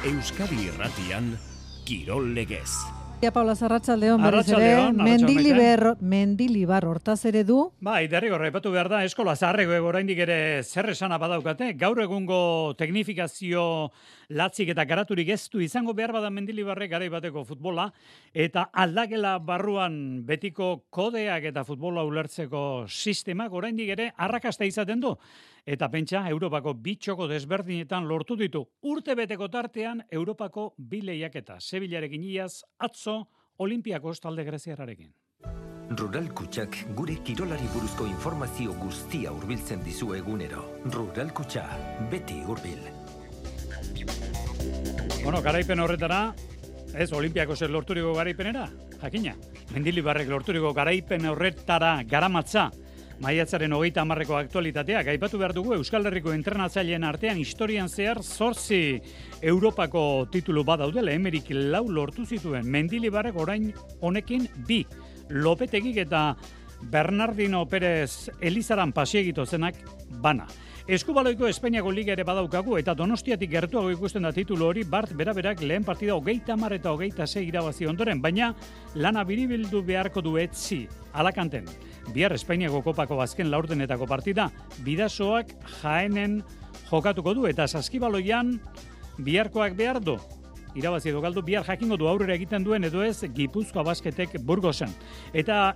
Euskadi Irratian, Kirol Legez. Paula Arratsaldeon berriz ere, Mendilibar hortaz ere du. Bai, derrigor aipatu behar da, eskola zaharreko oraindik ere zer esana badaukate, gaur egungo teknifikazio latzik eta garaturik ez du izango behar bada Mendilibarrek garai bateko futbola, eta aldakela barruan betiko kodeak eta futbola ulertzeko sistemak oraindik ere arrakasta izaten du. Eta pentsa, Europako bi txoko desberdinetan lortu ditu. Urtebeteko tartean, Europako bi lehiaketa. Sevillarekin iaz, atzo, Olimpiakos talde greziarrarekin. Rural Kutxak gure kirolari buruzko informazio guztia hurbiltzen dizu egunero. Rural Kutxa, beti hurbil. Bueno, garaipen horretara, ez Olimpiakos lorturiko garaipenera, jakina. Mendilibarrek lorturiko garaipen horretara garamatza. Maiatzaren 30ko aktualitatea, aipatu behar dugu Euskal Herriko entrenatzaileen artean historian zehar 8 Europako titulu badaudela, Emerik 4 lortu zituen. Mendilibarrek orain honekin 2. Lopetegik eta Bernardino Pérez Elizaran pasiegito zenak bana. Eskubaloiko Espainiako Liga ere badaukagu eta Donostiatik gertuago ikusten da titulu hori Bart beraberak lehen partida 30 eta 26 irabazi ondoren, baina lana biribildu beharko du etzi Alakanten. Bihar Espainiako kopako azken laurdenetako partida, Bidasoak Jaenen jokatuko du eta Saskibaloian biharkoak behar du. Irabazi edo galdu, bihar jakingo du aurrera egiten duen edo ez Gipuzkoa Basketek Burgosen. Eta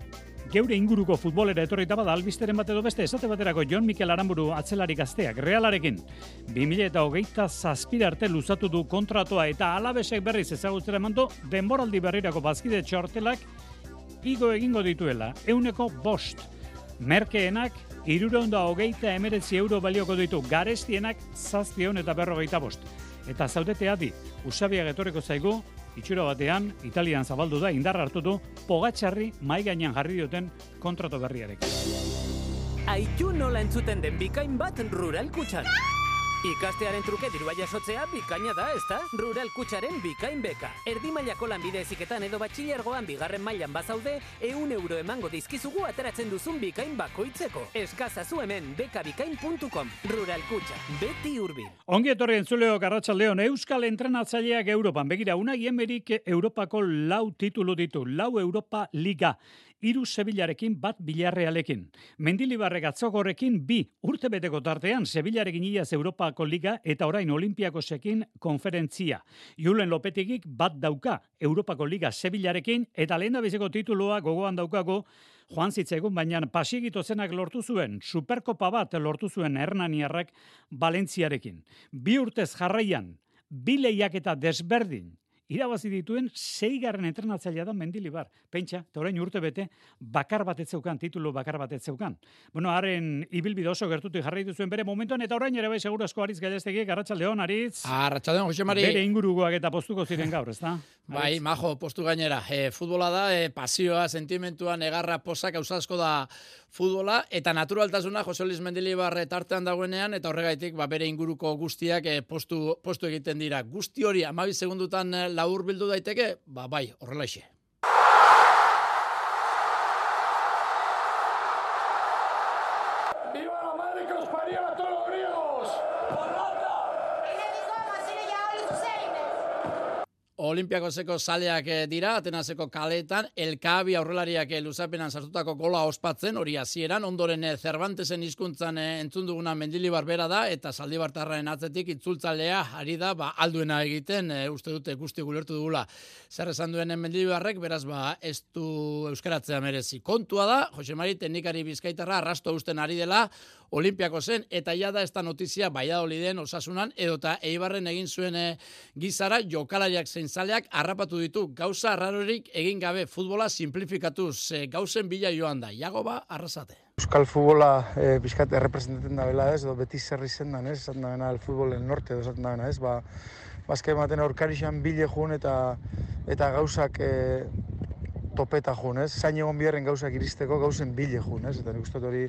geure inguruko futbolera etorrita bada albisteren bat edo beste, esate baterako Jon Mikel Aramburu atzelari gazteak Realarekin 2027 arte luzatu du kontratoa eta Alabesek berriz ezagutzera eman du denboraldi berrirako bazkide txartelak igo egingo dituela, 105. Merkeenak 329 euro balioko ditu, garestienak 745. Eta zaudete adi, Usabiak etorriko zaigu, itxura batean, Italian zabaldu da, indar hartu du, Pogačarri mai gainean jarri duten kontrato berriarekin. Aitu nola entzuten den bikain bat Rural Kutxan. Ikastearen truke dirua jasotzea bikaina da, ezta? Rural Kutxaren bikain beka. Erdi mailako lanbide heziketan edo batxilergoan bigarren mailan bazaude, 100 euro emango dizkizugu ateratzen duzun bikain bakoitzeko. Eskazazu hemen bekabikain.com. Rural Kutxa, beti hurbil. Ongi etorri entzuleok arratsaldeon, Euskal entrenatzaileak Europan. Begira, Unai Emerik Europako 4 titulu ditu, 4 Europa Liga. 3 Sevillarekin, 1 Villarrealekin. Mendilibarrek atzokorrekin 2 urtebeteko tartean Sevillarekin iaz Europako Liga eta orain Olimpiakosekin konferentzia. Julen Lopetegik 1 dauka Europako Liga Sevillarekin eta lehendabiziko titulua gogoan daukago joan zitzegun, baina pasiegito zenak lortu zuen, Superkopa bat lortu zuen Hernaniarrak Valentziarekin. 2 urtez jarraian, 2 lehiaketa desberdin irabazi dituen 6. entrenatzailea da Mendilibar. Pentsa, eta orain urte bete, bakar bat ez zeukan, titulu bakar bat ez zeukan. Bueno, haren ibilbide oso gertutik jarraitu zuen bere momentuan, eta orain ere bai segurazko Aritz Gallestegik, arratsaldeon Aritz. Arratsaldeon, Jose Mari. Bere ingurukoak eta postuko ziren gaur, ezta? Bai, majo, postu gainera. Futbola da, pasioa, sentimentua, negarra, posak, asko da futbola, eta naturaltasuna Jose Luis Mendilibar tartean dagoenean, eta horregaitik bere inguruko guztiak postu egiten dira. Guzti hori 12 segundutan labur bildu daiteke, bai, horrelaixe. ¡Viva la madre que os parió a todos los griegos! Olimpiakoseko zaleak dira, Atenaseko kaletan, Elkabi aurrelariak luzapenan sartutako gola ospatzen, hori hasieran, ondoren Cervantesen hizkuntzan entzun duguna Mendilibar bera da, eta Zaldibartarraren atzetik itzultzalea ari da, alduena egiten, uste dute guzti gulertu dugula. Zer esan duen Mendilibarrek, beraz, ez du euskaratzea merezi. Kontua da, Jose Mari teknikari bizkaitarra arrasto usten ari dela, Olimpiakosen, eta ja da ez da notizia Valladoliden Osasunan, edota Eibarren egin zuen gizara, jokalariak zein zaleak harrapatu ditu, gauza arrarorik egin gabe, futbola simplifikatuz, gauzen bila joan da. Jagoba, arrasate. Euskal futbola pixkat errepresentatzen da bela ez, edo beti zerri zendan ez, esaten da bena el futbol el norte, edo esaten da bena ez, bazka ematen aurkarixan bile jun eta gauzak topeta jun ez, zain egon biharren gauzak iristeko gauzen bile jun ez, eta nik uste hori,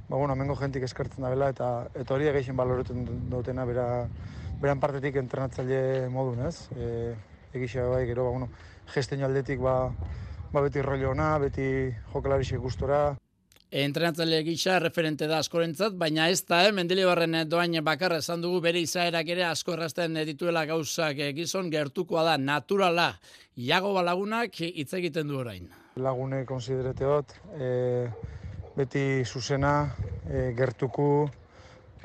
amengo jentik eskartzen da bela, eta hori egeixen baloreten dutena beran partetik entrenatzaile modun ez, egixe bai, gero, gestenio aldetik beti rollo ona, beti jokalarixe gustora. Entrenatzaile gisa referente da askorentzat, baina ez da, Mendilibarren doain bakarra esan dugu bere izaerak ere asko errazten dituela gauzak gizon, gertukoa da, naturala, Iago Lagunak hitz egiten du orain. Lagune konsidereteot, beti zuzena, gertuku,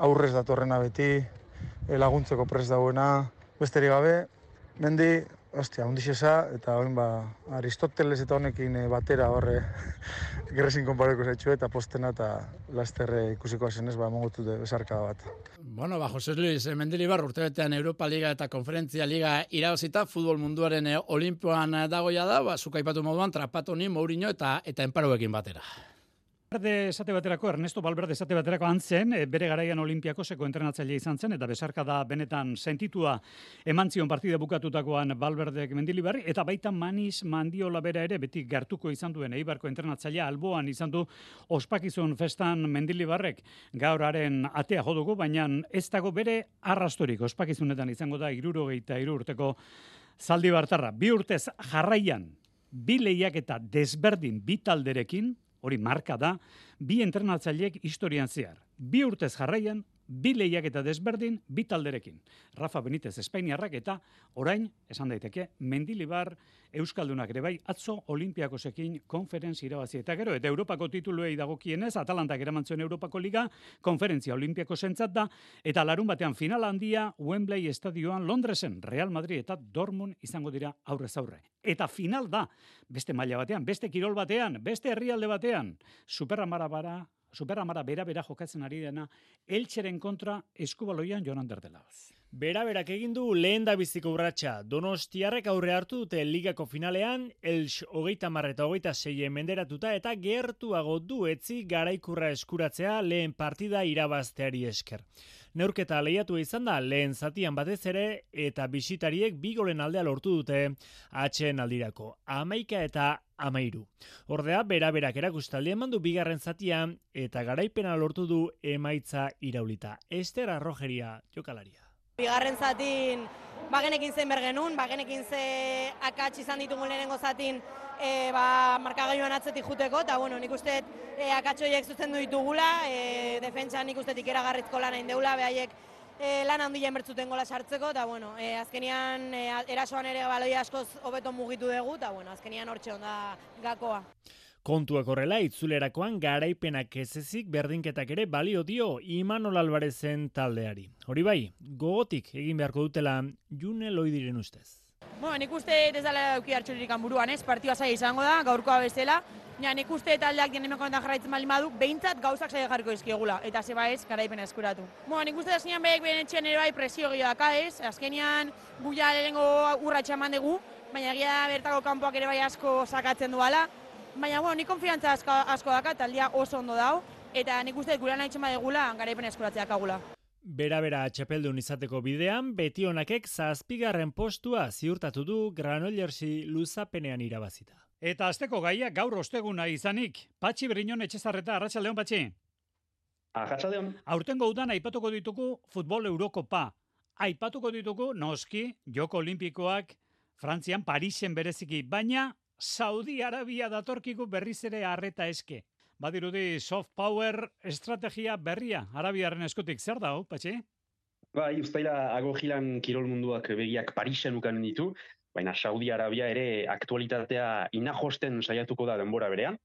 aurrez datorrena beti, laguntzeko prest dauena, besterik gabe, Mendi, hundixesa, eta oin Aristoteles eta honekin batera horre gerrezin konpareko zaitxu eta postena eta lasterre ikusiko zenez, mongotu besarka bat. Bueno, Jose Luis Mendilibar urtebetean Europa Liga eta Konferentzia Liga irabazita, futbol munduaren olimpoan dagoia da, zuk aipatu moduan, Trapatoni, Mourinho eta Enparoekin batera. Ernesto Valverde esate baterako antzen, bere garaian Olimpiakoseko entrenatzaile izan zen, eta besarka da benetan sentitua eman zion partida bukatutakoan Valverdek Mendilibarri, eta baita Manis Mandiola bera ere, beti gertuko izan duen Eibarko entrenatzailea alboan izan du ospakizun festan Mendilibarrek gauraren atea jodugu, baina ez dago bere arrastorik ospakizunetan izango da 63 urteko Zaldibartarra. 2 urtez jarraian, 2 lehiaketa desberdin bi talderekin, hori marka da, 2 entrenatzaileek historian zehar. 2 urtez jarraian, 2 lehiaketa desberdin, 2 talderekin. Rafa Benitez Espainiarrak eta orain, esan daiteke, Mendilibar Euskaldunak ere bai, atzo Olimpiakosekin konferentzia irabazi. Eta gero, eta Europako tituluei dagokienez, Atalantak eramantzuen Europako Liga, konferentzia Olimpiakosentzat da, eta larun batean final handia Wembley estadioan Londresen, Real Madrid eta Dortmund izango dira aurrez aurre. Eta final da, beste maila batean, beste kirol batean, beste herrialde batean, Superamara bera jokatzen ari dena, Elcheren kontra Eskubaloian Jonan Derdelaoz. Bera-berak egin du lehen da biziko urratsa. Donostiarrek aurre hartu dute ligako finalean, Elx 30 eta 26 menderatuta eta gertuago du etzi garaikurra eskuratzea lehen partida irabazteari esker. Neurketa lehiatu izan da lehen zatian batez ere eta bisitariek 2 golen aldea lortu dute atxeen aldirako. 11 eta 13. Ordea, bera-berak erakustaldi eman du bigarren zatian eta garaipena lortu du emaitza iraulita. Ester Arrojeria jokalaria. Bigarren zatin bagenekin zen bergenun, bagenekin ze akats izan ditugun lehenengo zatin markagailuan atzetik juteko, eta nik uste akatsoiek zuzendu ditugula, defentsan nik uste ikeragarrizko lan egin deula, behaiek lan handian bertzuten gola sartzeko, eta azkenian erasoan ere baloi askoz hobeto mugitu dugu, eta azkenian hortxe onda gakoa. Kontuak horrela, itzulerakoan garaipenak ezezik berdinketak ere balio dio Imanol Alvarezen taldeari. Hori bai, gogotik egin beharko dutela June Loidiren ustez. Nik uste ez dela euki hartxoririk buruan, partidua zaila izango da, gaurkoa bezala. Nik uste taldeak dienemeko honetan jarraitzen baldin badu, behintzat gauzak zaila jarriko izkiegula, eta zeba ez, garaipena eskuratu. Nik uste azkenean behek beren etxean ere bai presio gehiago ez, azkenean guia lehenengo urratxa eman dugu, baina egia bertako kanpoak ere bai asko sakatzen duala. Baina, nik konfiantza asko daka, taldea oso ondo dau, eta nik uste gure nahi txema degula, garaipen eskuratzeak agula. Bera txapeldun izateko bidean, Betionakek 7. postua ziurtatu du Granollersi luzapenean irabazita. Eta azteko gaia gaur osteguna izanik, Patxi Briñon Etxezarreta, Arratsaldeon Patxi. Arratsaldeon. Aurtengo udan aipatuko ditugu futbol Eurokopa. Aipatuko ditugu noski Joko Olimpikoak Frantzian Parisen bereziki, baina Saudi Arabia datorkigu berriz ere arreta eske. Badirudi soft power estrategia berria Arabiaren eskutik zer da, Patxi? Bai, ustaila agogilan kirol munduak begiak Parisen ukan ditu, baina Saudi Arabia ere aktualitatea inajosten saiatuko da denbora berean.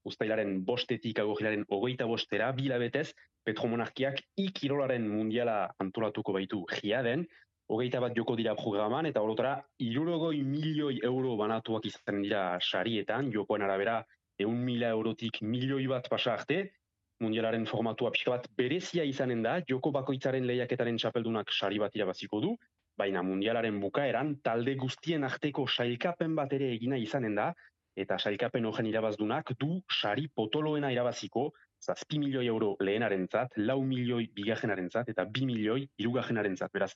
Ustailaren 5etik agogilaren 25era, 2 hilabetez, Petromonarkiak kirolaren mundiala antolatuko baitu Riaden, 21 joko dira programan, eta horotara 60 milioi euro banatuak izan dira sarietan, jokoen arabera 100.000 eurotik milioi bat pasa arte, mundialaren formatua pixka bat berezia izanen da, joko bakoitzaren lehiaketaren txapeldunak sari bat irabaziko du, baina mundialaren bukaeran talde guztien arteko sailkapen bat ere egina izanen da, eta sailkapen horren irabazdunak du sari potoloena irabaziko, 7 milioi euro lehenarentzat, 4 milioi bigarrenarentzat, eta 2 milioi hirugarrenarentzat. Beraz,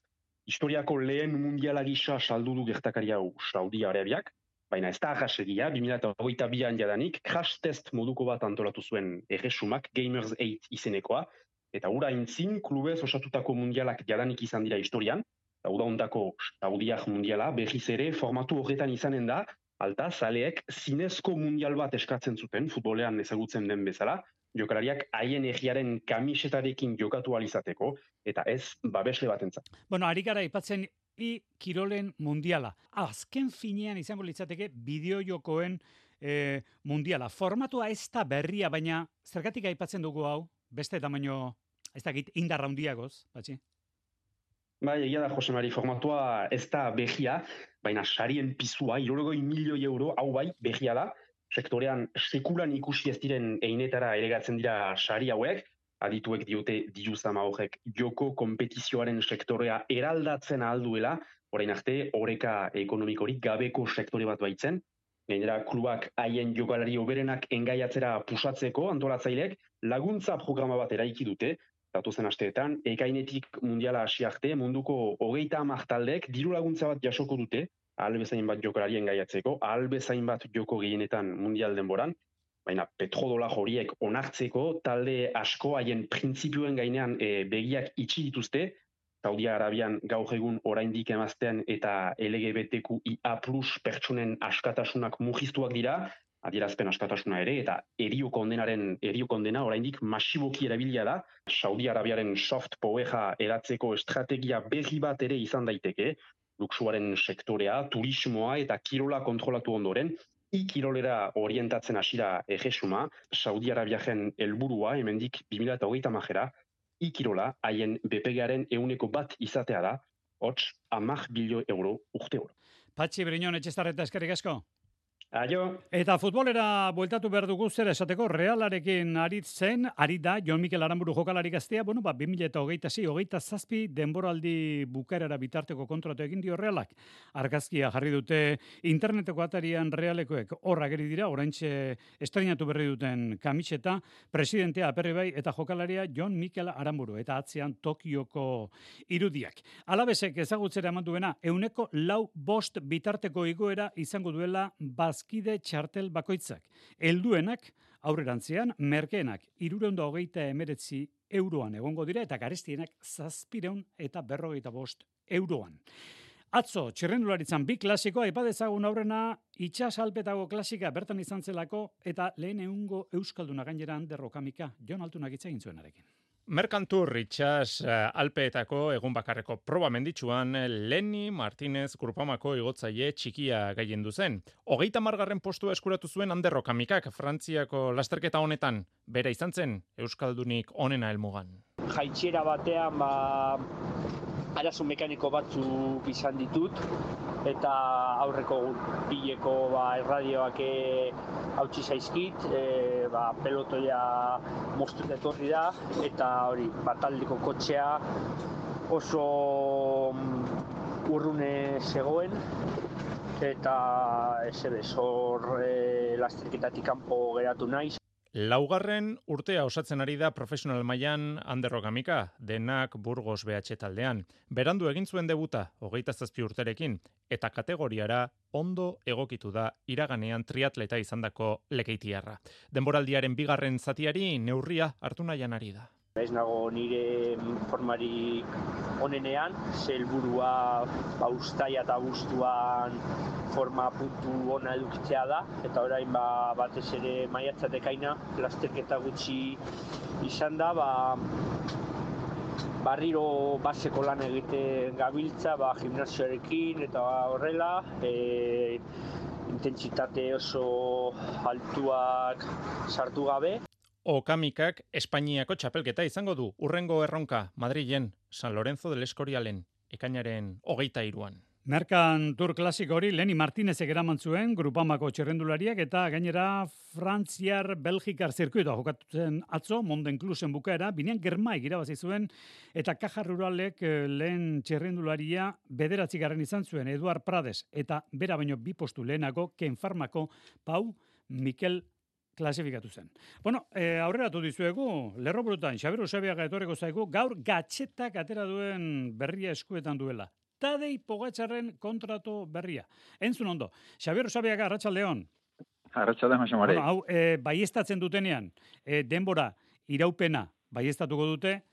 historiako lehen mundiala gisa saldu du gertakari hau Saudi Arabiak, baina ez da ahasegia, 2022an jadanik, crash test moduko bat antolatu zuen erresumak, Gamers 8 izenekoa, eta hura intzin klubez osatutako mundialak jadanik izan dira historian, eta hura ondako Saudiak mundiala berriz ere formatu horretan izanen da, alta zaleek zinezko mundial bat eskatzen zuten, futbolean ezagutzen den bezala, jokalariak haien egiaren kamisetarekin jokatu alizateko, eta ez babesle batentzat. Bueno, ari gara aipatzen kirolen mundiala. Azken finean izango litzateke bideojokoen mundiala. Formatua ez da berria, baina zergatik aipatzen dugu hau, beste tamaino, ez dakit, indarra handiagoz, Patxi? Bai, egia da, Jose Mari, formatua ez da behia, baina sarien pizua, 60 milioi euro, hau bai, behia da, sektorean sekulan ikusi ez diren einetara eregatzen dira sari hauek, adituek diote diruzama horrek joko kompetizioaren sektorea eraldatzen alduela, orain arte, oreka ekonomikorik gabeko sektore bat baitzen, gainera klubak haien jokalari oberenak engaiatzera pusatzeko antolatzaileek laguntza programa bat eraiki dute, datuzen asteetan, ekainetik mundiala hasi arte, munduko 30 taldek diru laguntza bat jasoko dute, ahal bezain bat jokalari engaiatzeko, ahal bezain bat joko gehienetan mundial denboran, baina petrodolar horiek onartzeko talde asko haien printzipioen gainean begiak itxi dituzte, Saudi Arabian gaur egun oraindik emaztean eta LGBTQIA+ pertsonen askatasunak mugiztuak dira, adierazpen askatasuna ere, eta erio kondena oraindik masiboki erabilia da, Saudi Arabiaren soft power eratzeko estrategia berri bat ere izan daiteke, luxuaren sektorea, turismoa eta kirola kontrolatu ondoren, kirolera orientatzen hasira ejesuma, Saudi Arabiaren helburua hemendik 2030 kirola haien BPG-aren 1% izatea da, hots 10 bilio euro urte oro. Patxi Briñon, Etxezarreta, eskerrik asko. Aio. Eta futbolera bueltatu behar dugu zer esateko Realarekin ari da Jon Mikel Aranburu jokalari gaztea, 2026-27 denboraldi bukaerara bitarteko kontratu egin dio Realak. Argazkia jarri dute interneteko atarian Realekoek horra geri dira, oraintxe estrenatu berri duten kamiseta, presidentea Aperri Bai eta jokalaria Jon Mikel Aranburu, eta atzean Tokioko irudiak. Alabesek ezagutzera eman duena, 4.5 bitarteko igoera izango duela bazkide txartel bakoitzak. Helduenak aurrerantzean, merkeenak 329 euroan egongo dira eta garestienak 745 euroan. Atzo, txirrendularitzan 2 klasiko, aipadezagun aurrena itxasalpetago klasika bertan izan zelako eta lehen egungo euskalduna gainera Ander Okamika, Jon Altunak hitz egin zuenarekin. Merkantur itxas Alpeetako egun bakarreko proba menditsuan Leni Martinez Grupamako igotzaile txikia gailendu zen. 30. postua eskuratu zuen Ander Okamikak Frantziako lasterketa honetan, bera izan zen euskaldunik onena helmugan. Jaitxera batean arazo mekaniko batzuk izan ditut, eta aurreko bileko erradioak hautsi zaizkit, pelotoia moztut etorri da, eta hori, taldeko kotxea oso urrune zegoen, eta hor lasterketatik kanpo geratu naiz. Laugarren urtea osatzen ari da profesional mailan Ander Okamika, denak Burgos BH taldean. Berandu egin zuen debuta, 27 urterekin, eta kategoriara ondo egokitu da iraganean triatleta izandako Lekeitiarra. Denboraldiaren 2. zatiari neurria hartu nahian ari da. Ez nago nire formari onenean, helburua uztaia eta abuztuan forma puntu ona edukitzea da, eta orain batez ere maiatzatekaina lasterketa gutxi izan da, barriro baseko lan egiten gabiltza, gimnasioarekin eta horrela, intentsitate oso altuak sartu gabe. Okamikak Espainiako txapelketa izango du, urrengo erronka Madrilen, San Lorenzo del Escorialen, ekainaren 23an. Merkantur klasiko hori Leni Martinezek eraman zuen Grupamako txirrendulariak eta gainera Frantziar-Belgikar zirkuitoa jokatzen atzo, Mondenclusen bukaera, binean Germaik irabazi zuen eta Caja Ruralek lehen txirrendularia 9. izan zuen Eduard Prades eta bera baino 2 postu lehenako Ken Farmako Pau Mikel klasifikatu zen. Bueno, aurreratu dizuegu, Lerroburutan, Xabier Usabiaga etorreko zaigu, gaur gatxetak atera duen berria eskuetan duela. Tadej Pogačarren kontratu berria. Entzun ondo. Xabier Usabiaga, arratsaldeon. Arratsaldeon, Jose Mari. Bueno, hau, baieztatzen dutenean, denbora, iraupena, baieztatuko dute,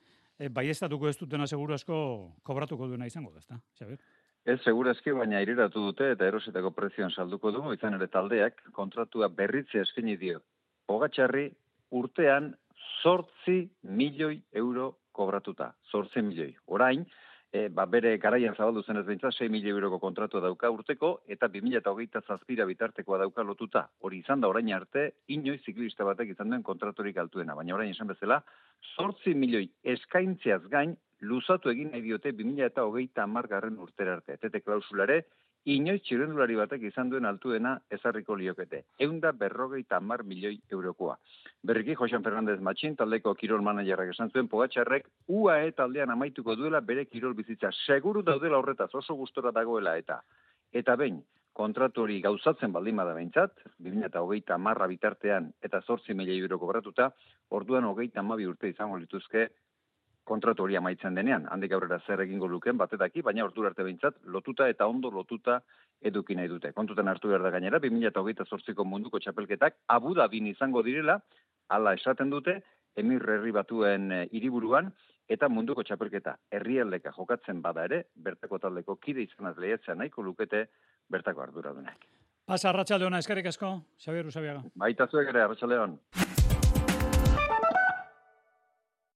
baieztatuko ez dutena seguru asko kobratuko duena izango da, ezta, Xabier? Ez, segurazki, baina iriratu dute eta erosetako prezioan salduko du, izan ere taldeak kontratua berritze eskini dio. Pogačarri urtean 8 milioi euro kobratuta. 8 milioi. Orain, bere garaian zabaldu zenez behintzat, 6 milioi euroko kontratua dauka urteko, eta 2027 bitartekoa dauka lotuta. Hori izan da orain arte, inoiz ziklista batek izan duen kontraturik altuena. Baina orain esan bezala, 8 milioi eskaintzeaz gain, luzatu egin nahi diote 2030 urtera arte. Tete klausulare, inoiz txirrendulari batek izan duen altuena ezarriko liokete. 150 milioi eurokoa. Berriki, Josean Fernandez Matxin, taldeko kirol managerrak esan zuen, Pogačarrek UAE taldean amaituko duela bere kirol bizitza. Seguru daudela horretaz, oso gustora dagoela eta behin, kontratu hori gauzatzen baldin bada behintzat, 2030 bitartean eta 8 milioi euro kobratuta, orduan 32 urte izango lituzke kontratu hori amaitzen denean. Handik aurrera zer egingo luken batetaki, baina ordura arte behintzat lotuta eta ondo lotuta eduki nahi dute. Kontutan hartu behar da gainera, 2028ko munduko txapelketak Abu Dhabin izango direla, hala esaten dute, Emir Herri Batuen hiriburuan, eta munduko txapelketa herrialdeka jokatzen bada ere, bertako taldeko kide izanaz lehiatzea nahiko lukete bertako arduradunak. Pasa, arratsaldeona, eskerrik asko, Xabier Usabiaga. Baita zuek ere, arratsaldeon.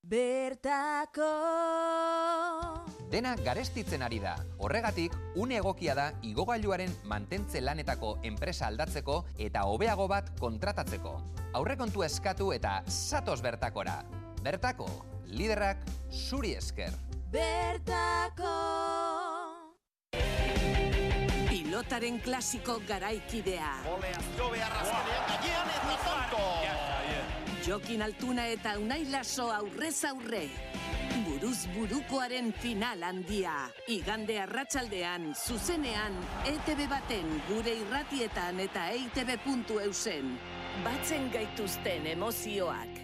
Bertako dena garestitzen ari da. Horregatik, une egokia da igogailuaren mantentze lanetako enpresa aldatzeko eta hobeago bat kontratatzeko. Aurrekontua eskatu eta zatoz bertakora. Bertako, liderrak zuri esker. Bertako pilotaren klasiko garaikidea. Oleazio beharrazkenean gainean eta tanto. Jokin Altuna eta Unai Laso aurrez aurre. Buruz burukoaren final handia. Igande arratsaldean, zuzenean, ETV baten, gure irratietan eta eitb.eusen. Batzen gaituzten emozioak.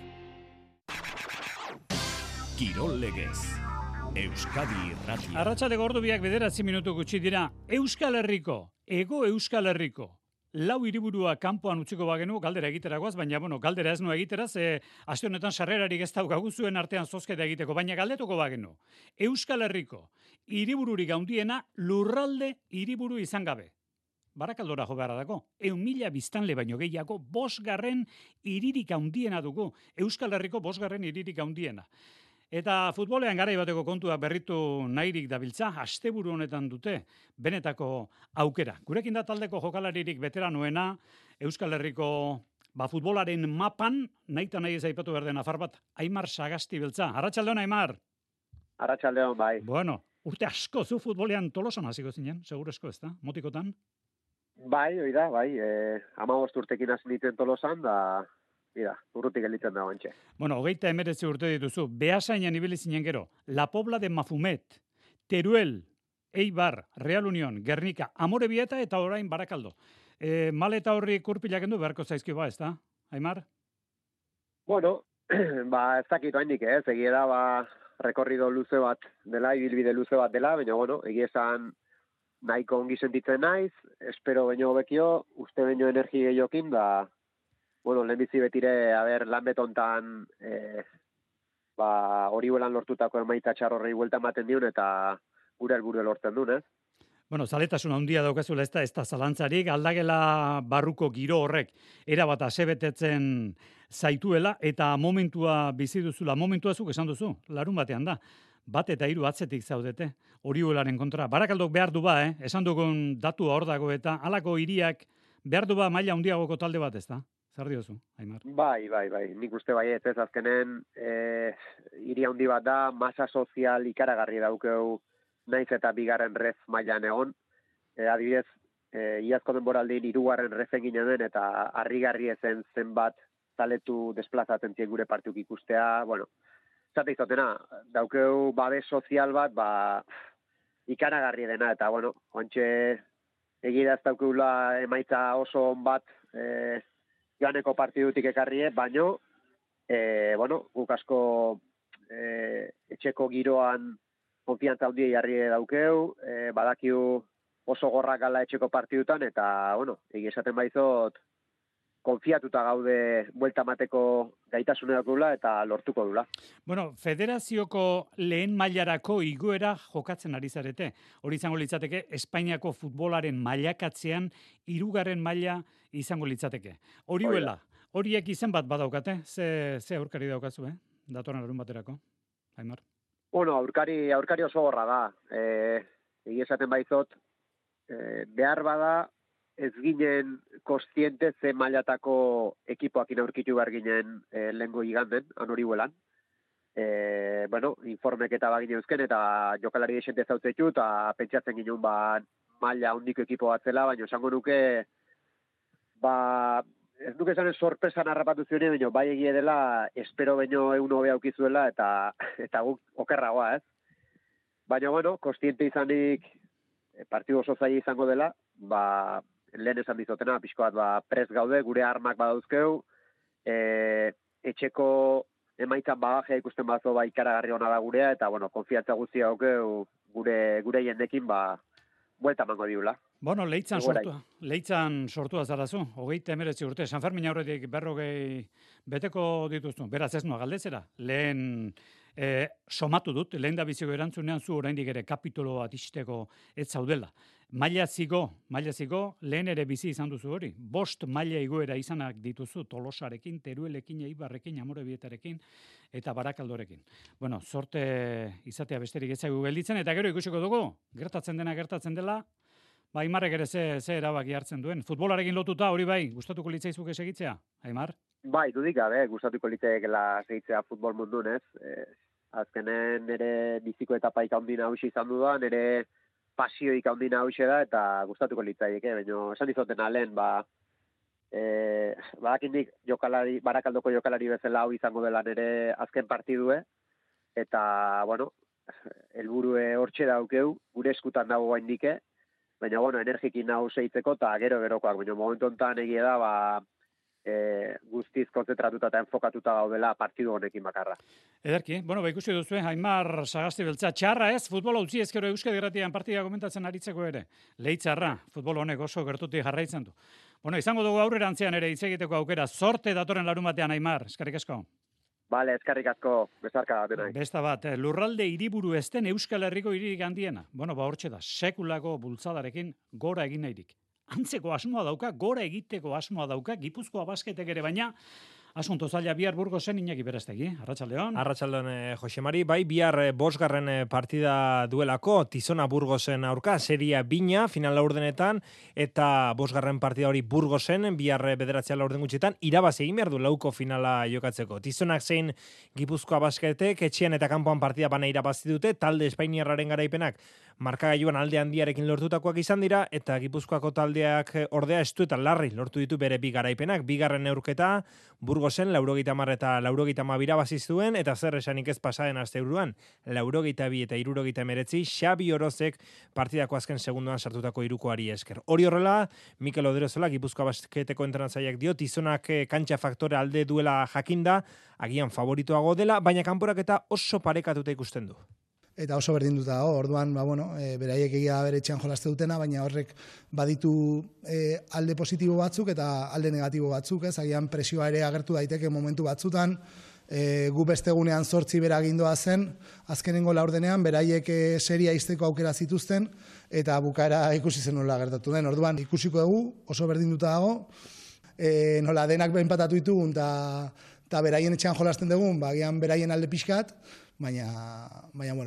Kirol legez. Euskadi Irratia. Arratsaldeko ordu biak 9 minutu gutxi dira. Euskal Herriko, Hego Euskal Herriko. Lau hiriburua kanpoan utziko bagenu, galdera egiteragoaz, baina, galdera ez nu egiteraz, aste honetan sarrerarik ez daukagu zuen artean zozketa egiteko, baina galdetuko bagenu. Euskal Herriko, hiribururik handiena lurralde hiriburu izan gabe. Barakaldora jo beharra dago. 1.000 biztanle baino gehiago, 5. hiririk handiena dugu. Euskal Herriko 5. hiririk handiena. Eta futbolean garai bateko kontua berritu nahirik dabiltza, asteburu honetan dute benetako aukera. Gurekin da taldeko jokalaririk veteranoena, Euskal Herriko futbolaren mapan, nahi ez aipatu behar den afar bat, Aimar Sagasti beltza. Arratsaldeon, Aimar? Arratsaldeon, bai. Bueno, urte asko zu futbolean Tolosan hasiko zinen, segurezko ez da, motikotan? Bai, oida, bai. 15 urtekin hasi nintzen Tolosan, da... Mira, urrutik elitzen da bantxe. 29 urte dituzu. Beasainan ibili zinen gero. La Pobla de Mafumet, Teruel, Eibar, Real Unión, Gernika, Amorebieta eta orain Barakaldo. Maleta horri kurpilak endu beharko zaizki ez da, Aimar? Bueno, ez dakit oainik, egia da, rekorrido luze bat dela, ibilbide luze bat dela, baina, egia esan nahiko ongi sentitzen naiz, espero baino bekio, uste baino energi gehiokin, da, lehenbizi betire, lan betontan hori huelan lortutako emaitza txarrorrei buelta ematen diun eta gure helburua lortzen duen, Zaletasuna handia daukazula ez da zalantzarik, aldagela barruko giro horrek erabat asebetetzen zaituela eta momentua bizi duzula, momentua zuk esan duzu, larun batean da. 1 eta 3 atzetik zaudete, hori huelaren kontra. Barakaldok behar du esan dugun datua hor dago eta halako hiriak behar du maila handiagoko talde bat ez da. Zer diozu, Aimar? Bai. Nik uste bai ez azkenen hiri handi bat da, masa sozial ikaragarri daukeu naiz eta 2. ref mailan egon. Adibidez, iazko denboraldin 3. refen ginen den eta harrigarri ezen zenbat taletu desplazatzen zien gure partiuk ikustea. Zate izotena, daukeu babes sozial bat, ikaragarri dena eta, ontxe egira ez daukeula emaitza oso on bat joaneko partidutik ekarrie, baino, guk asko etxeko giroan konfiantza handia jarri daukeu, badakiu oso gorrak gala etxeko partidutan, eta, egia esaten baizot, konfiatuta gaude buelta mateko gaitasune daukula eta lortuko dula. Federazioko lehen mailarako igoera jokatzen ari zarete. Hori izango litzateke, Espainiako futbolaren mailakatzean 3. maila izango litzateke. horiek izen bat badaukate, ze aurkari daukazu, datorren larun baterako, Aimar? Bueno, aurkari oso gorra da. Egia esaten baizot, behar bada ez ginen kostiente ze mailatako ekipoakin aurkitu behar ginen lehengo iganden, anori huelan. Bueno, informek eta bagine eusken, eta jokalari esente zautzetu, eta pentsatzen ginen maila hondiko ekipo bat zela, baina esango nuke, ez nuke esanen sorpresan harrapatu zioen, baina bai egie dela, espero baino egun hobea aukizuela, eta guk okerragoa, ez? Baina, bueno, kostiente izanik partidu oso zaila izango dela, lehen esan dizotena, pixko bat, prest gaude, gure armak badauzkeu, etxeko emaitzan bagajea ikusten bazo ikaragarri ona da gurea, eta, bueno, konfiantza guztia haukeu gure jendekin, buelta mango diula. Bueno, leitzan sortua zarazu, 39 urte, San Fermin aurretik 40 beteko dituzu, beraz ez noa galdezera, lehen somatu dut, lehen da biziko erantzunean zu oraindik ere kapitolo bat isteko ez zaudela. Maila ziko, lehen ere bizi izan duzu hori. 5 maila igoera izanak dituzu Tolosarekin, Teruelekin, Eibarrekin, Amorebietarekin eta Barakaldorekin. Bueno, sorte izatea besterik ez zaigu gelditzen, eta gero ikusiko dugu, gertatzen dela, Aimarrek ere ze erabaki hartzen duen. Futbolarekin lotuta hori bai, gustatuko litzaizuke segitzea, Aimar? Bai, dudik gabe, gustatuko litzaikela segitzea futbol mundun, ez? Azkenen nire biziko etapaik handina hausi izan dudan, nire pasioik handina hausi da, eta gustatuko litzaike, baina esan izoten alen, badakindik Barakaldoko jokalari bezala hau izango dela nire azken partidue, eta, bueno, helburue hortxe daukeu, gure eskutan dago gaindike, baina, bueno, energikin nahu seitzeko, eta gero-gerokoak, baina momentu honetan egia da, guztiz konzentratuta eta enfokatuta gaudela partidu honekin bakarra. Ederki, bueno, ikusi duzu, Aimar Sagasti beltza, txarra ez, futbola utzi ezkero Euskadi Irratian partida komentatzen aritzeko ere. Leitzarra, futbol honek oso gertutik jarraitzen du. Bueno, izango dugu aurrerantzean ere hitz egiteko aukera, sorte datorren larun batean, Aimar, eskerrik asko. Bale, eskerrik asko, bezarka da. Besta bat, lurralde hiriburu ez den Euskal Herriko hiririk handiena. Bueno, hortxe da, sekulako bultzadarekin gora egin nahirik. Antzeko asmoa dauka, gora egiteko asmoa dauka, Gipuzkoa basketek ere, baina asunto zaila bihar Burgosen Iñaki Berestegi. Arratsaldeon. Arratsaldeon, Josemari. Bai, bihar 5. partida duelako, Tizona Burgosen aurka, seria bina, final laurdenetan, eta 5. partida hori Burgosen, bihar 9 laurden gutxetan, irabazi egin behar du lauko finala jokatzeko. Tizonak zein Gipuzkoa basketek, etxean eta kanpoan partida bana irabazi dute, talde Espainiarraren garaipenak markagailuan alde handiarekin lortutakoak izan dira, eta Gipuzkoako taldeak ordea estu eta larri lortu ditu bere 2 garaipenak. 2. neurketa Burgosen 80 eta 82 irabazi zuen, eta zer esanik ez pasaren asteburuan 82 eta 79 Xabi Orozek partidako azken segundoan sartutako hirukoari esker. Hori horrela, Mikel Oderozola Gipuzkoa basketeko entrenatzaileak dio, Tizonak kantxa faktore alde duela jakinda, agian favoritoago dela, baina kanporaketa oso parekatuta ikusten du. Eta oso berdinduta dago, orduan, beraiek egia bere etxean jolaste dutena, baina horrek baditu alde positibo batzuk eta alde negatibo batzuk, ez? Agian presioa ere agertu daiteke momentu batzutan, gu bestegunean 8 bera gindoa zen, azkenengo laurdenean, beraiek seria izteko aukera zituzten, eta bukaera ikusi zen nola gertatu den. Orduan, ikusiko dugu, oso berdinduta dago, nola denak enpatatu ditugun, eta beraien etxean jolasten dugun, agian beraien alde pixkat, baina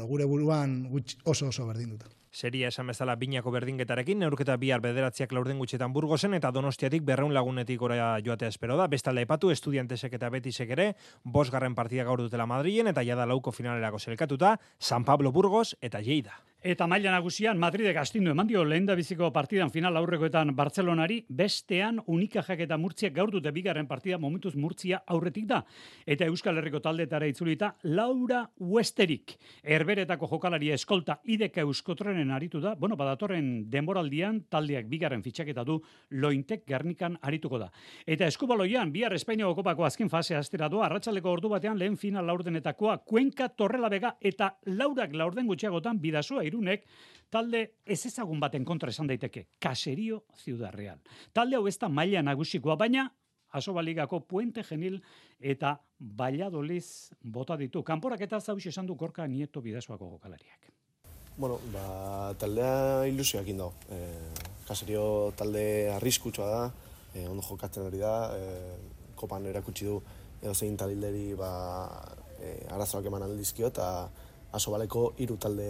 gure buruan oso berdinduta. Seria esan bezala binako berdinketarekin, neurketa bihar 9 laurden gutxetan Burgosen, eta Donostiatik 200 lagunetik gora joatea espero da. Bestalde aipatu, Estudiantesek eta Betisek ere, 5. partida gaur dutela Madrilen, eta jada lauko finalerako selkatuta, San Pablo Burgos eta Lleida. Eta maila nagusian Madridek astindu eman dio lehendabiziko partidan final aurrekoetan Bartzelonari, bestean Unikajak eta Murtziak gaur dute 2. partida momentuz Murtzia aurretik da. Eta Euskal Herriko taldetara itzulita Laura Westerik, Herberetako jokalari eskolta Ideka Euskotrenen aritu da. Bueno, badatorren denboraldian taldeak 2. fitxaketa du Lointek Gernikan arituko da. Eta eskubaloian bihar Espainiako kopako azken fasea astera doa, arratsaldeko ordu batean lehen final laurdenetakoa Cuenca Torrelavega eta Laurak laurden gutxiagotan Bidasoa Irunek talde ezezagun baten kontra esan daiteke, Caserio Ciudad Real. Talde hau ez da maila nagusikoa, baina Asobaligako Puente Genil eta Valladolid bota ditu. Kanporak eta zauxe esan du Gorka Nieto Bidasoako jokalariak. Bueno, taldea ilusioakin dago. Caserio talde arriskutsua da, ondo jokatzen ari da, kopan erakutsi du edo zein taldeari arazoak eman aldizkio eta Asobaleko 3 talde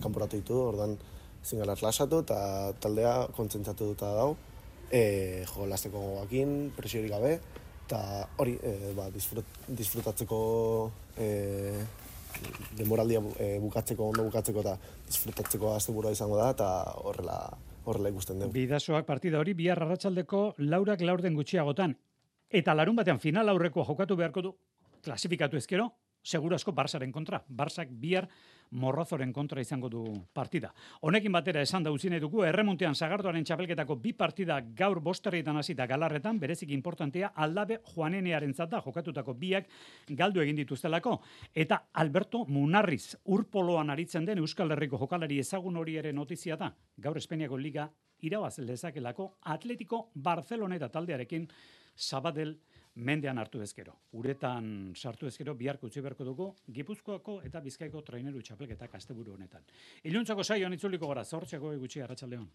kanporatu ditu, orduan ezin gara lasatu eta taldea kontzentratuta dago. Jolasteko gogoakin, presiorik gabe, eta hori disfrutatzeko denboraldia ondo bukatzeko eta disfrutatzeko asteburua izango da, eta horrela ikusten dugu. Bidasoak partida hori bihar arratsaldeko 4:00 gutxiagotan. Eta larun batean final aurrekoa jokatu beharko du, klasifikatu ezkero, segurazko Barsaren kontra. Barsak bihar Morrozoren kontra izango du partida. Honekin batera esan da utzi nahi dugu, erremontean Sagardoaren txapelketako 2 partida gaur 5:00 hasita Galarretan, berezik importantea Aldabe Juanenearentzat da, jokatutako 2 galdu egin dituztelako. Eta Alberto Munarriz, urpoloan aritzen den Euskal Herriko jokalari ezagun hori ere notizia da. Gaur Espainiako Liga irabaz lezakelako Atletico Barceloneta taldearekin Sabadell mendean hartu ezkero. Uretan sartu ezkero biharko utzi beharko dugu Gipuzkoako eta Bizkaiko traineru txapelketak asteburu honetan. Iluntzako saioan itzuliko gara, 8:00 gutxi arratsaldeon.